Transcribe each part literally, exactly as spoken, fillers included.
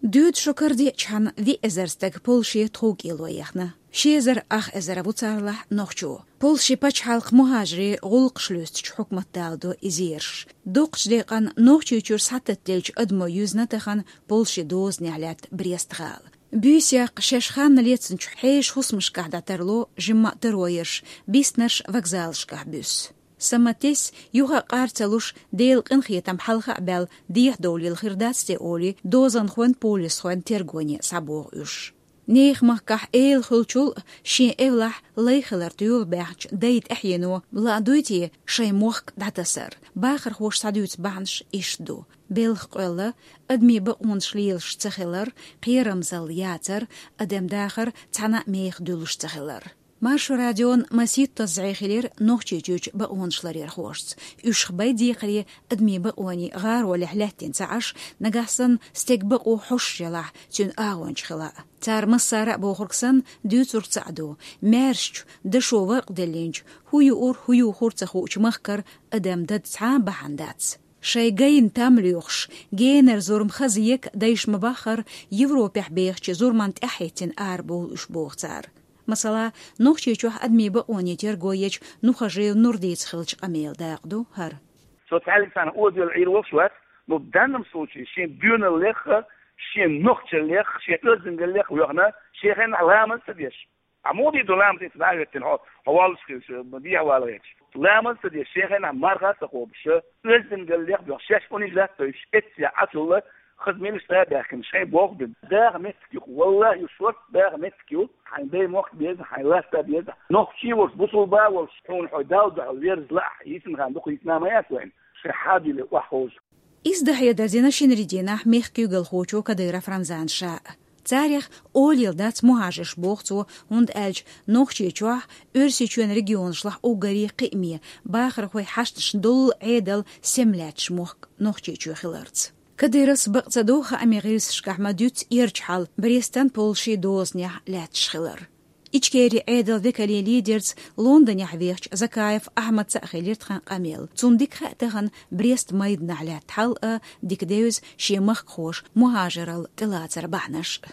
Дуьйцу шо карадеъчхьана виъ эзар стаг Польше тхов кӀело яхна. Ши эзар ах эзар ву царлахь нохчо. Польше пачхьалкх мухӀажарийн гӀуллакхаш лоьстучу хьукмат даладо и зераш. Дукхачу декъана Нохчийчуьра схьататтаделлачу адамо юьзна тахана Польше дозанехь лаьтта Брест-гӀала. Буьйса яккха шаьш ханна лецначу хьешан хӀусамашкахь дӀатарло жимма а таро ерш, биснарш вокзалашкахь буьссу. Саматес, юха а къар ца луш, Делан къинхетам хьалха а баьлла, дехьадовлийла хир дац те олий, дозанхойн, полисхойн тергоне схьабоху уьш. Нехан махкахь эла хуьлучул а шен эвлахь лай хилар туьйла баьхначу дайн тӀаьхьено лаа дуй те шайн мохк дӀатасар? Бахархоша схьадуьйцу бахьанаш иштта ду: белхан къоьлла, адамийн бакъонаш лелаш ца хилар, кхерамзалла яцар, адам дахар цхьана а мехах дуьллуш ца хилар. Маршо радион масийттазза зӀе хилира Нохчийчуьрчу бакъонашларъярхошца. Уьш хабай декхаре адамийн бакъонийн гӀаролехь лаьттина ца Ӏаш, нагахь санна стеган бакъо хьоьшуш ялахь, цуьнан агӀонча хила а. Цара массара а бохург санна, дуьйцург цхьаъ ду: маьршачу, дашо варкъ деллинчу, хӀун юур, хӀун юхур ца хуучу махкара адам дада цхьа а бахьана дац. Шайн гайна там лоьхуш, генара зурма хаза ека дайша ма-баххара, Европехь бехачу зурманна тӀаьхьахӀиттина арабовлу уьш, боху цара. Масала, Нохчийчохь адамийн бакъонийн терго ечу Нухажиев Нурдица хиллачу къамелан дакъа ду хӀара. Со цхьаьллиг санна оза йолу Ӏийр волуш вац, но в данном случае шен доьналлех а, шен нохчаллех а, шен оьздангаллех а воьхна, шен хенахь ламаз ца деш. Ахьа муха дийр ду ламаз, иза дӀа а хӀоьттина, хьо, хьо воллуш хилча, ма дехьа вала гӀерташ. Ламаз ца деш, шен хенахь марха а ца кхобуш, оьздангаллех а боьхна, шаьш унижать а дойуш, эццехь Ӏачул а хаза мелаш цӀа а баьхкина, шайн болх бина. Даха меттиг ю-кх, валлахӀи, ю шорта даха меттиг ю, хьайн дай мохк беза, хьайн латта беза. Нохчий а волуш, бусулба а волуш, хьуна хьо Далла дуьхьал верза лаахь, йисина хан дукха йисна ма яц вайна, шайн хьадуьйле охьаховза. Иза дан хьедар дина шинарин дийнахь мехкан куьйгалхочо Кадыров Рамзана ша а. Царех олийла дац мухӀажарш, боху цо, хӀунда аьлча Нохчийчохь, Оьрсийчоьнан регионашлахь уггаре кхиаме, бахархойн хьашташна доллу Ӏедал сема лаьтташ мохк Нохчийчоь хиларца. Кадыровс бакъ ца до хаамийн гӀирсашкахь ма-дуьйццу эрча хьал Брестан, Польшин дозанехь лаьтташ хилар. Ичкерин Ӏедалан векалийн лидерца Лондонехь вехачу Закаев Ахьмадца а хилира тхан къамел. Цунна дика хаьа тахана Брест майданахь лаьтта хьал а, дика девза шен махкахоша мухӀажаралла тӀелацаран бахьанаш а.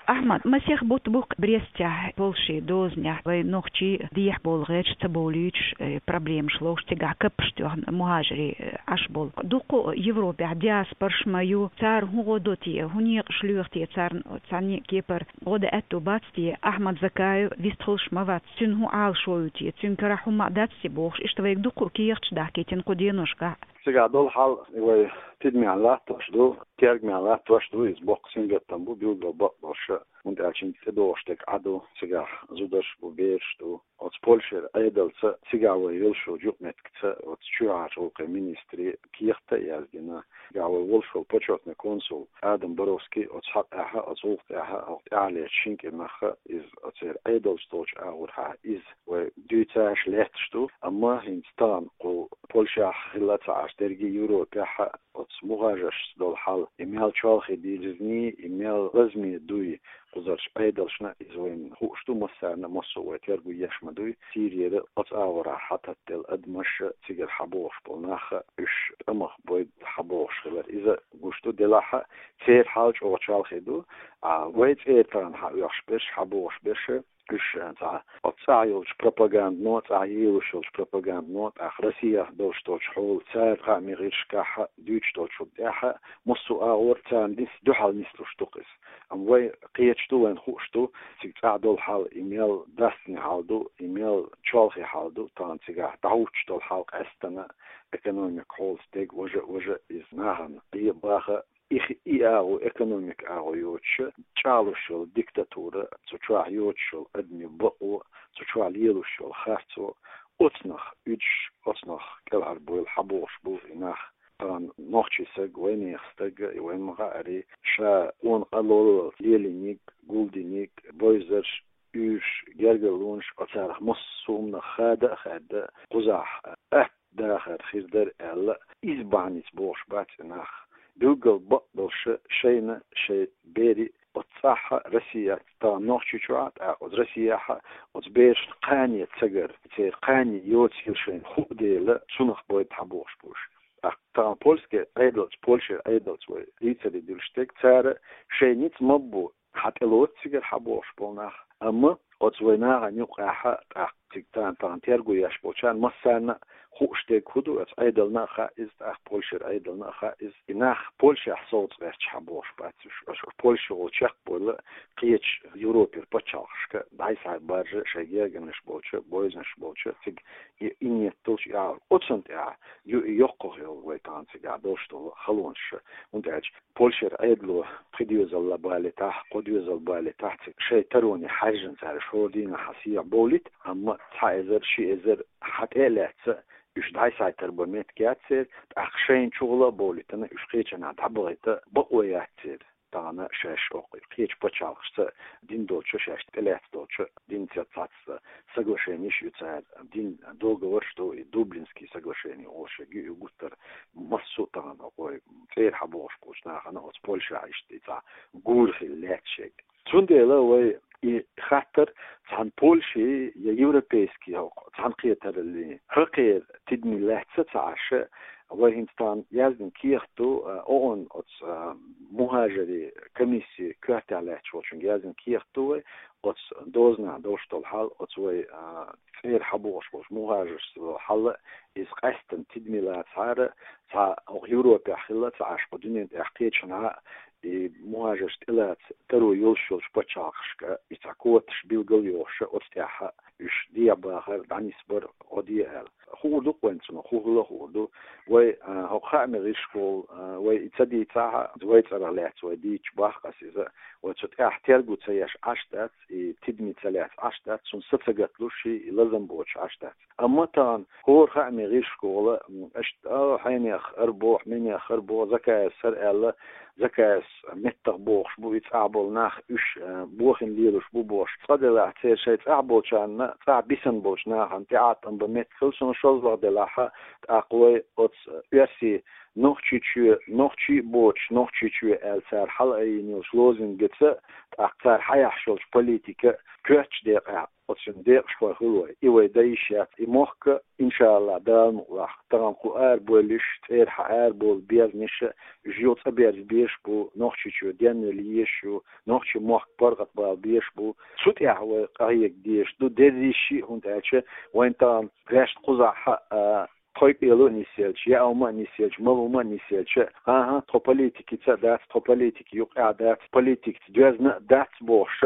Ахьмад, масех бутт бу-кх Брестехь, Польшин дозанехь вайн нохчий дехьабовла гӀерташ, ца бовлуьйтуш, э, проблемаш ловш, цигахь каппаш тоьхна мухӀажарий, э, Ӏаш болу. Дуккха а Европехь диаспораш ма ю, цара хӀун гӀо до те, хӀун некъаш лоьху те, царна цхьанне а кепара гӀо дан аьтто бац те, Ахьмад Закаев вистхуьлуш ма вац, цуьнан хӀун Ӏалашо ю те, цуьнан карахь хӀумма а дац те бохуш, иштта вайга дуккха а кехаташ дахкийтина кху деношкахь. Цигахь долу хьал вай тидамехь латтош ду, тергамехь латтош ду, иза боккха сингаттам бу, билггал бакъдолуш, хӀунда аьлча хӀинца тӀедогӀуш дерг Ӏа ду, цигахь зударш бу, бераш ду. Оцу Польшера Ӏедалца цигахь вай йолуш йолчу юкъаметтигца оцу чоьхьарчу гӀуллакхийн министре кехат а яздина. Цигахь вай волуш волу почётный консул Адам Боровский оцу хьакъехь а, оцу гӀуллакх тӀехь а, хӀокху тӀаьхьарлерчу шина кӀирнахь а иза оцеран Ӏедалца долчу агӀорхьа иза вай дуьйцуш лаьтташ ду, амма хӀинца тахана кху Польшехь хилла а ца Ӏаш, дерриге Европехь а оцу мухӀажаршца долу хьал, и мел чолхе дирзиний, и мел лазаме дуй кхузарчу Ӏедалшна, иза вайна хууш ду, массарна а, массо а вай терго еш ма дуй. Сирера оцу агӀорахь хьататтаделла адамаш а, цигара хьабогӀуш болу нах а, уьш тӀамах бойда хьабогӀуш хилар, иза гуш ду. Делахь а церан хьал чӀогӀа чолхе ду, а вай цӀера тахана хьаоьхуш берш, хьабогӀуш берш, уьш цхьа оцу цӀахь йолчу пропагандано, цӀахь елош йолчу пропагандано, тӀаккха Россехь долуш долчу хьолан, цара хаамийн гӀирсашкахь а дуьйцуш долчунна тӀехь а, массо а агӀор царна нис-, дуьхьал нислуш ду-кх иза. Амма вай кхеташ ду, вайна хууш ду, цига цӀахь долу хьал и мел дастане хьал ду, и мел чолхе хьал ду, тахана цигахь дӀахӀуттуш долу хьал къаьстина, экономика хьолаца дерг, важа а, важа а иза нахана дӀа а баха, и хи-, и агӀо, экономика агӀо йоцуш, чӀагӀлуш йолу диктатура, цу чохь йоцуш йолу адамийн бакъо, цу чохь лелош йолу харцо, оцунах уьдуш, оцунах кӀелхьарбойла хьабогӀуш бу и нах. Тахана нохчийн стаг, вайнехан стаг, и вайна ма-хаъара, ша къона къа лоллалц лелийнарг, гулдинарг, бовзарш, уьйраш, гергарлонаш, оцарах массо а хӀуманах хада а хаьдда, кхузахь атта дахар хир дара аьлла, иза бахьаница бохуш бац и нах. Билггал бакъдолуш шайна, шайн берийн оцу цӀахь а, Россехь а, тахана Нохчийчохь а, тӀаккха оцу Россехь а, оцу берашна кхане ца гар, церан кхане йоцийла шайна хууш дела, цунах бойда хьабогӀуш бу уьш. ТӀаккха тахана польский Ӏедалца, Польшера Ӏедалца вай дийцаре дилла дерг, цара шайн ницкъ ма бу, хьатӀелоцу цигара хьабохуш болу нах, амма оцу вай нахана юкъахь тӀаккха цига тахана, тахана терго еш болчарна массарна а хууш дерг хӀун ду, оцу Ӏедална а хаьа иза, тӀаккха Польшера Ӏедална а хаьа иза. И нах Польшехь совца гӀерташ хьабохуш бац уьш. Оцу Польшехула чекхбойла кхечу Европера пачхьалкхашка дӀай-схьай баржа, шайн гергарнаш болчу, бойзанаш болчу, цига и, и нийят долуш и Ӏалашо. Оцунна тӀехь ю и йоккхах йолу вай тахана цигахь долуш долу халонаш. ХӀунда аьлча Польшера Ӏедало пхи доьзал балийтахь, кхо доьзал балийтахь, цига шайн тароне хьаьжжина цара шора дийнахь схьа сехьа бовлийта, амма цхьа эзар, ши эзар хьан тӀе а лаьцна, уьш дӀай-схьай тарбан меттиг яц церан, тӀаккха шайна чухула а бовлийтина, уьш кхечанхьа дӀабахийта бакъо яц церан. Тахана шаьш окху кхечу пачхьалкхашца дина долчу, шаьш тӀелаьцна долчу динца цхьацца соглашенеш ю цара, дина договорш ду, и Дублинский соглашение олуш ю, и гуттар массо а тахана окху вай цӀера хьабохуш болчу нахана оцу Польшехь иштта и цхьа гура хилла лаьтташ ерг. Цундела вай и хаттар цхьана Польши я европейский хӀокху цхьаьнакхетараллин хӀокхеран тидаме лаьцна ца Ӏаш, вай хӀинца тахана яздина кехат ду, а, ООН оцу, а, мухӀажарийн комиссин коьртехь лаьтташ волчуьнга яздина кехат ду вай, оцу дозанехь долуш долу хьал, оцу вай, а, цӀера хьабохуш болчу мухӀажаршца долу хьал, иза къаьсттина тидаме лацахьара, цхьа хӀокху Европехь хилла ца Ӏаш, кху дуьнен тӀехь кхечанхьа а и мухӀажарш тӀелаца таро йолуш йолчу пачхьалкхашка, и цхьа квоташ билгал а йохуш, оцу тӀехь уьш дехьа бахар дӀанисбар гӀо де аьлла. Хуур ду-кх вайна цунах, хӀун хилла а хуур ду. Вай, а, хӀокху хаамийн гӀирсашкахула, а, вай и ца дийцахь а, вай цӀарах лаьцна вай дийцича боху ас иза, вай цу тӀехь терго ца еш Ӏаш дац, и тидаме ца лаьцна Ӏаш дац, цунна са ца гаталуш и лазам боцуш Ӏаш дац. Амма тахана хӀора хаамийн гӀирсашкахула, м, аша, а, хьенех хӀара боху, минех хӀара боху, Закаевс хӀара аьлла, Закаевс меттах бохуш бу, и цӀахь болу нах уьш, а, бохийна лелош бу бохуш. Цкъа делахь, церан шайн цӀахь болчарна, цӀахь бисина болчу нахана тӀеӀаткъам бан меттиг хилла, суна шозлагӀа делахь, тӀаккха вай оцу оьрсийн Нохчийчоь, нохчий а боцуш, Нохчийчоь аьлла цара хьалаайина йолчу лозунгаца, тӀаккха цара хьаяхьаш йолчу политика коьртачу декъехь оцу декъашхой хуьлу вай. И вай дан йиш яц. И мохк, иншааллахӀ, Дала мукъалахь, тахана кху арабевлла уьш, цӀера хьа арабовла безнаш, уьш юха цӀа берза безаш бу, Нохчийчоь денвала езаш ю, нохчийн мохк паргӀатбала безаш бу. Цу тӀехь вай къахьега дезаш ду, дерза йиш йий, хӀунда аьлча вайна тахана ваьшна кхузахь а, тхойкъело а нисъелча, яа хӀума а нисъелча, мала хӀума а нисъелча, хӀан-хӀа, тхо политикица а дац, тхо политика юкъахь а дац, политикаца доьзна а дац бохуш,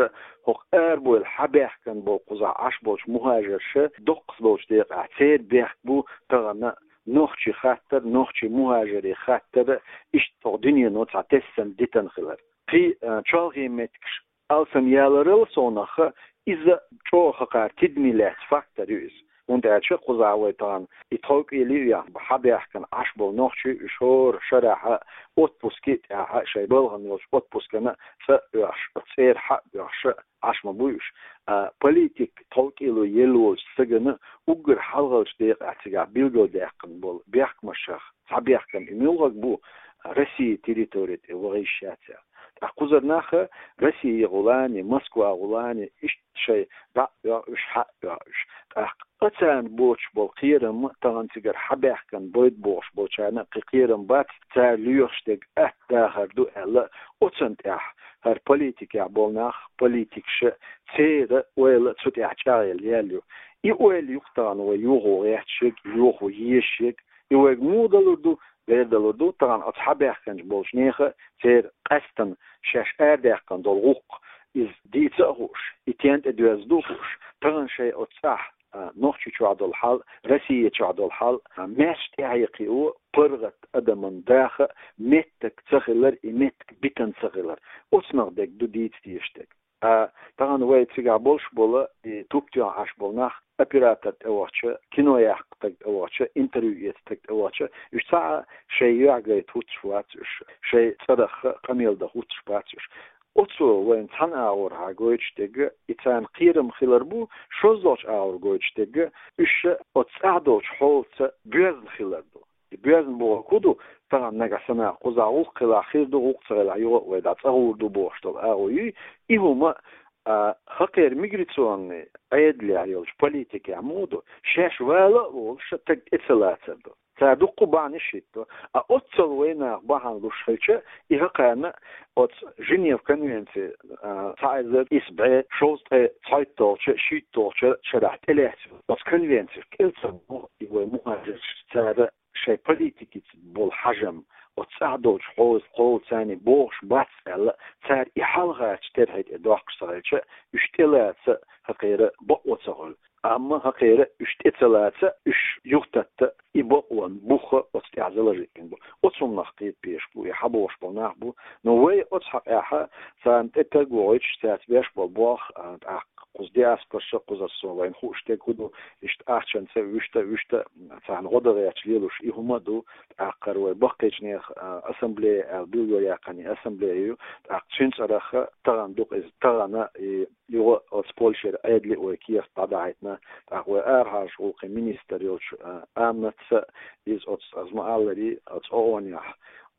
хӀокху арабевлла хьабаьхкина болу кхузахь Ӏаш болчу мухӀажарша доккхаза долчу декъехь церан бехк бу тахана нохчийн хаттар, нохчийн мухӀажарийн хаттар, иштта хӀокху дуьнено цхьа тесна дитина хилар. Кхин, а, чолхе меттигаш алсамъяларал совнаха, иза чӀогӀа хӀокхара тидаме лаьцна фактор ю иза. ХӀунда аьлча кхузахь вай тахана и тхойкъело а яхна, хьабаьхкина Ӏаш болу нохчий, уьш хӀора шарахь отпуске а тӀехь, шайн балхана йолчу отпускана цӀа а оьхуш, цӀера хьа а оьхуш Ӏаш ма буй уьш. А, политик тхойкъело елла волчу стагана уггар хьалхарчу декъехь цигахь билгалдаьккхина болу бехкамашах цхьа бехкам и муьлхарг бу, Россин территори тӀе ваха йиш яц аьлла. Ткъа кхузара нах Россигахула а, Москвахула а, иштта шайн дӀа а оьху уьш, хьа а оьху уьш. ТӀаккха царна боцуш болу кхерам тахана цигара хьабаьхкина бойда бохуш болчарна кхин кхерам бац, цара лоьхуш дерг атта дахар ду аьлла, оцунна тӀехь хӀара политикехь болу нах, политикаша, церан ойла цу тӀехь чӀагӀъелла яьлла ю. И ойла ю-кх тахана вай йохо гӀерташ ерг, йохо езаш ерг. И вайга муха далур ду? Дера далур ду, тахана оцу хьабаьхкинчу болчу нехан, церан къаьсттина шаьш арадаьккхина долу гӀуллакх, иза дийца а хууш, и стенна тӀе доьзна ду а хууш, тахана шайн оцу цӀахь, а, Нохчийчохь долу хьал, Россия чохь долу хьал, а, маьрша тӀаьхье кхио, паргӀат адаман даха меттиг ца хилар, и меттиг битина ца хилар. Оцунах дерг ду дийца дезаш дерг. А тахана вай цигахь болуш болу, и туп тоьхна Ӏаш болу нах, оператор тӀевахча, кино яккха стаг тӀевахча, интервью эца стаг тӀевахча, уьш цхьа а шайн юьхь гайта хӀуттуш бац уьш, шайн цӀарах къамел дан хӀуттуш бац уьш. Оцо вайна цхьана агӀорхьа гойтуш дерг, и царна кхерам хилар бу, шозлагӀчу агӀор гойтуш дерг, уьш оцу цӀахь долчу хьолаца боьзна хилар ду. И боьзна бохург хӀун ду? Тахана нагахь санна кхузахь гӀуллакх хилахь хир ду, гӀуллакх ца хилахь юха а вай дӀа цӀа гӀур ду бохуш долу агӀо юй. И хӀума, а, хӀокхеран миграционный Ӏедалехь йолчу политикехь муха ду? Шаьш вала а волуш, стаг тӀе ца лацар ду. Цара дуккха бахьанаш хӀитто. А оццул вайнах бахьана луш хилча, и хӀокхарна оцу Женев конвенци, а, цхьа эзар исс бӀе шовзткъе цхьайтталгӀачу, шийтталгӀачу шарахь тӀелаьцна оцу конвенцих кӀел ца боху и вай мухӀажарш, цара шайн политикица болу хьажам, оцу цӀахь долчу хьоза кхолла царна бохуш бац аьлла, цара и хьалхарчу терхье тӀе доккхуш ца хилча, уьш тӀелаца хӀокхеран бакъо ца хуьлу. Амма хӀокхеран уьш тӀе ца лаца, уьш юхататта и бакъонан бух оцу тӀехь заложить бина бу. Оцу хӀуманах кхетабеш бу, и хьабохуш болу нах бу. Но вай оцу хьокъехь царна тӀе таг вогӀуьйтуш, цаьрца беш болу болх, а, тӀаккха кхуза диаспорца, кхузара со вайна хууш дерг хӀун ду, иштта ахчанца, вуьшта, вуьшта, царна гӀо дан гӀерташ лелош и хӀума а ду, тӀаккха хӀара вай баккхийчу нехан, а, ассамблея аьлла билгалъяьккхина и ассамблея ю, тӀаккха цуьнан цӀарах тахана ду-кх иза, тахана и юха оцу Польшера Ӏедале а вай кехат дӀадахьийтина, тӀаккха вай арахьарчу гӀуллакхийн министр йолчу, а, Аннаца а, иза оцу, аз ма-аллара, оцу ООН-ехь,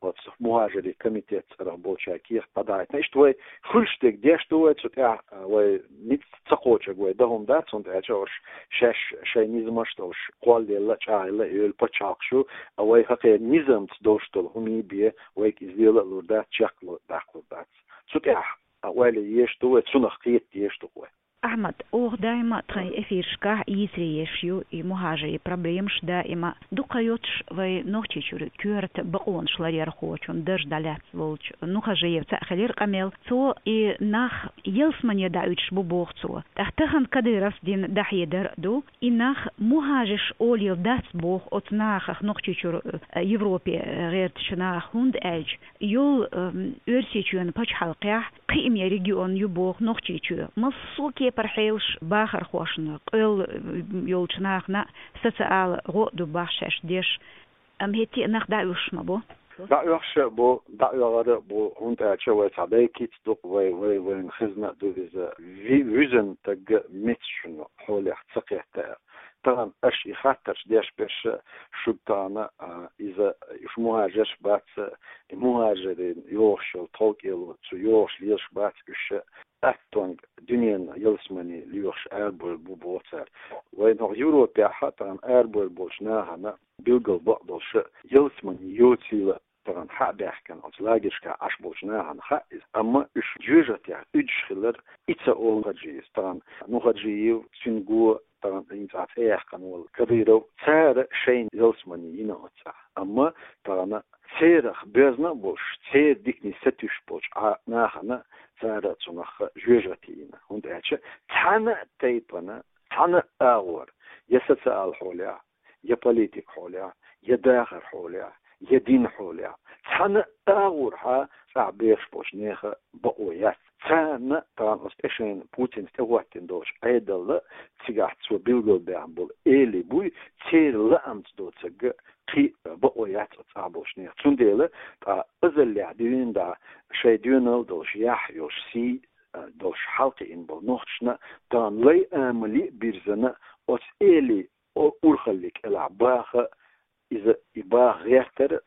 оцу мухӀажарийн комитетан цӀарах болчаьрга кехат дӀадахьийтина. Иштта вай хуьлуш дерг деш ду вай цу тӀехь, а, вай ницкъ ца кхочург вай дан хӀума дац, хӀунда аьлча уьш шаьш шайн низамаш долуш кхоллаелла, чӀагӀъелла, эвла пачхьалкхаш ю, а вай хӀокхеран низамца долуш долу хӀумий бен, вайга иза лела а лур дац, чекхдаккхалур дац. Цу тӀехь, а, ойла еш ду вай, цунах кхета дезаш ду вай. Ахьмад, оха даима тхайн эфирашкахь йийцаре еш ю и мухӀажарийн проблемаш, даима дукха йоцуш вай Нохчийчуьра коьрта бакъонаш ларъярхочун дарж дӀалаьцна волчу Нухажиев цхьаъ хилира къамел. Цо и нах ялсамане дӀаоьцуш бу боху цо. ТӀаккха тахана Кадыровс дина дӀахьедар а ду, и нах мухӀажарш олийла дац боху оцу нахах, Нохчийчуьра, э, Европе, э, гӀертачу нахах, хӀунда аьлча йолу, эм, Оьрсийчоьнан пачхьалкхехь кхиаме регион ю боху Нохчийчоь. Массо а кепара хьелаш бахархошна, къоьлла, э, йолчу нахана социала гӀо а ду бах шаьш деш. Амма хӀетте а нах дӀаоьхуш ма бу. ДӀаоьхуш а бу, дӀаоьхур а бу, хӀунда аьлча вай цхьа дай кица ду-кх, вай, вай, вайна хезна а ду иза. Ви-, вуьзна стаг меттачун хьолех ца кхетта аьлла. Тахана аша и хаттарш деш берш а шуьга тахана, а, иза, уьш мухӀажарш бац, и мухӀажарийн йогӀуш йолу тховкӀело, цу йогӀуш лелаш бац уьш, аттонга дуьненан ялсамане лоьхуш арабевлла бу боху цара. Вайн хӀокху Европехь а тахана арабевлла болчу нахана билггал бакъдолуш а ялсамане йоцийла тахана хьа а баьхкина, оцу лагершкахь Ӏаш болчу нахана хаьа иза. Амма уьш жоьжахатех уьдуш хилар, и ца олу Нухажиевс. Тахана Нухажиев, цуьнан го, тахана хӀинца цӀе яьккхина волу Кадыров, цара шайна ялсамане йина оцу цӀахь. Амма тахана церах боьзна а болуш, церан диканийн сатуьйсуш болчу Ӏа-, нахана цара цунах жоьжахати йина. ХӀунда аьлча цхьана а тайпана, цхьана а агӀор, я социал хьолехь, я политик хьолехь, я дахар хьолехь, я дин хьолехь, цхьана а агӀорхьа цӀахь бехаш болчу нехан бакъо яц. Царна тахана оцу тӀе шайна Путинца тӀехӀоттина долчу Ӏедалла, цигахь цо билгалбаьхна болу элий буй, церан лаамца доцург кхин а бакъо яц оцу цӀахь болчу нехан. Цундела тӀаккха азаллехь дуьйна дӀа шайн доьналла долуш, яхь йолуш, сий а долуш хьалакхиъна болу нохчашна тахана лай амали а бирзина, оцу элий о-, урхаллин кӀелахь баха, иза и баха гӀертар а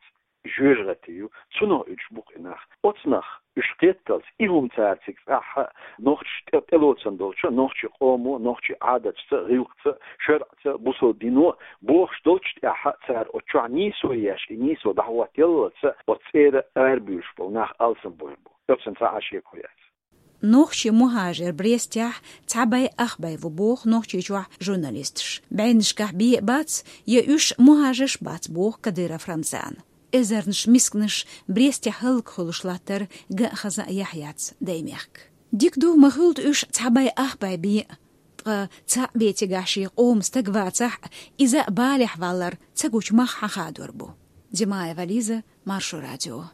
жоьжахати ю, цунах уьдуш бу-кх и нах. Оцу нах уьш кхетталц, и хӀума цара цига цӀахь а нохчаш тӀе-, тӀелоцун долчу, нохчийн къомо, нохчийн Ӏадаташца, гӀиллакхца, шарӀаца, бусалба дино бохуш долчу тӀехь а цара оцу чохь нийсо еш, и нийсо дӀахӀоттаяллалц оцу цӀера арабуьйлуш болу нах алсам бовр бу. Оцунна цхьа а шеко яц. Нохчийн мухӀажар Брестехь цхьа бӀе ах бӀе ву боху Нохчийчохь журналисташ. БӀеннашкахь бен а бац, я уьш мухӀажарш бац боху Кадыров Рамзана. Эзарнаш мисканаш Брестехь хӀаллакьхуьлуш латтар ган а, хаза а яхь яц даймехка. Дика ду, ма хуьлда уьш цхьа бӀе ах бӀе бен а, ткъа цхьаъ бен цигахь шен къоман стаг вацахь а, иза а балехь валар ца гучу мах хьан хадор бу. Димаева Лиза, Маршо радио.